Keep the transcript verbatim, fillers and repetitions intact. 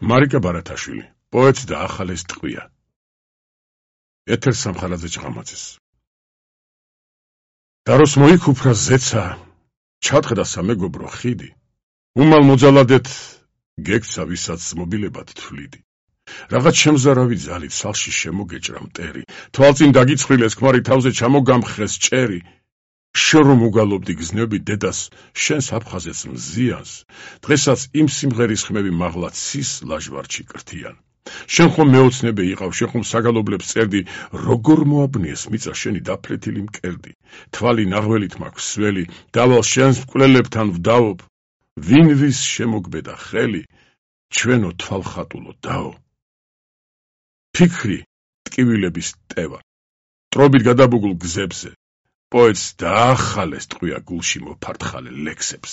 მარიკა ბარათაშვილი, პოეტს დაახალეს ტყვია. ეთერ სამხარაძე ჭყამაძეს. დაროს მოიქუფრა ზეცა, ჩატყდა სამეგობრო ხიდი. უმალ მოძალადეთ გექცა ვისაც მობილებად თვლიდი. რაღაც შემზარავი ძალით სალში შემოგეჭრა მტერი, თვალწინ დაგიცხრილეს ქმარი თავზე ჩამოგამხეს ჭერი. შორომ უგალობდი გზნები დედას, შენს აფხაზეთს მზიანს, დღესაც იმ სიმღერის ხმები მაღლა ცის ლაჟვარდში კრთიან. შენ ხომ მეოცნებე იყავ, შენ ხომ საგალობლებს წერდი, როგორ მოაბნიეს მიწა შენი დაფლეთილი მკერდი, თვალი ნაღველით მაქვს სველი, დავალ შენს მკვლელებთან ვდაობ, ვინ ვის შემოგბედა ხელი, ჩვენო თვალხატულო დაო. ფიქრი ტკივილების ტევა, ტრობით გადაბუგულ გზებზე, პოეტს დაახალეს ტყვია გულში მოფართხალე ლექსებს.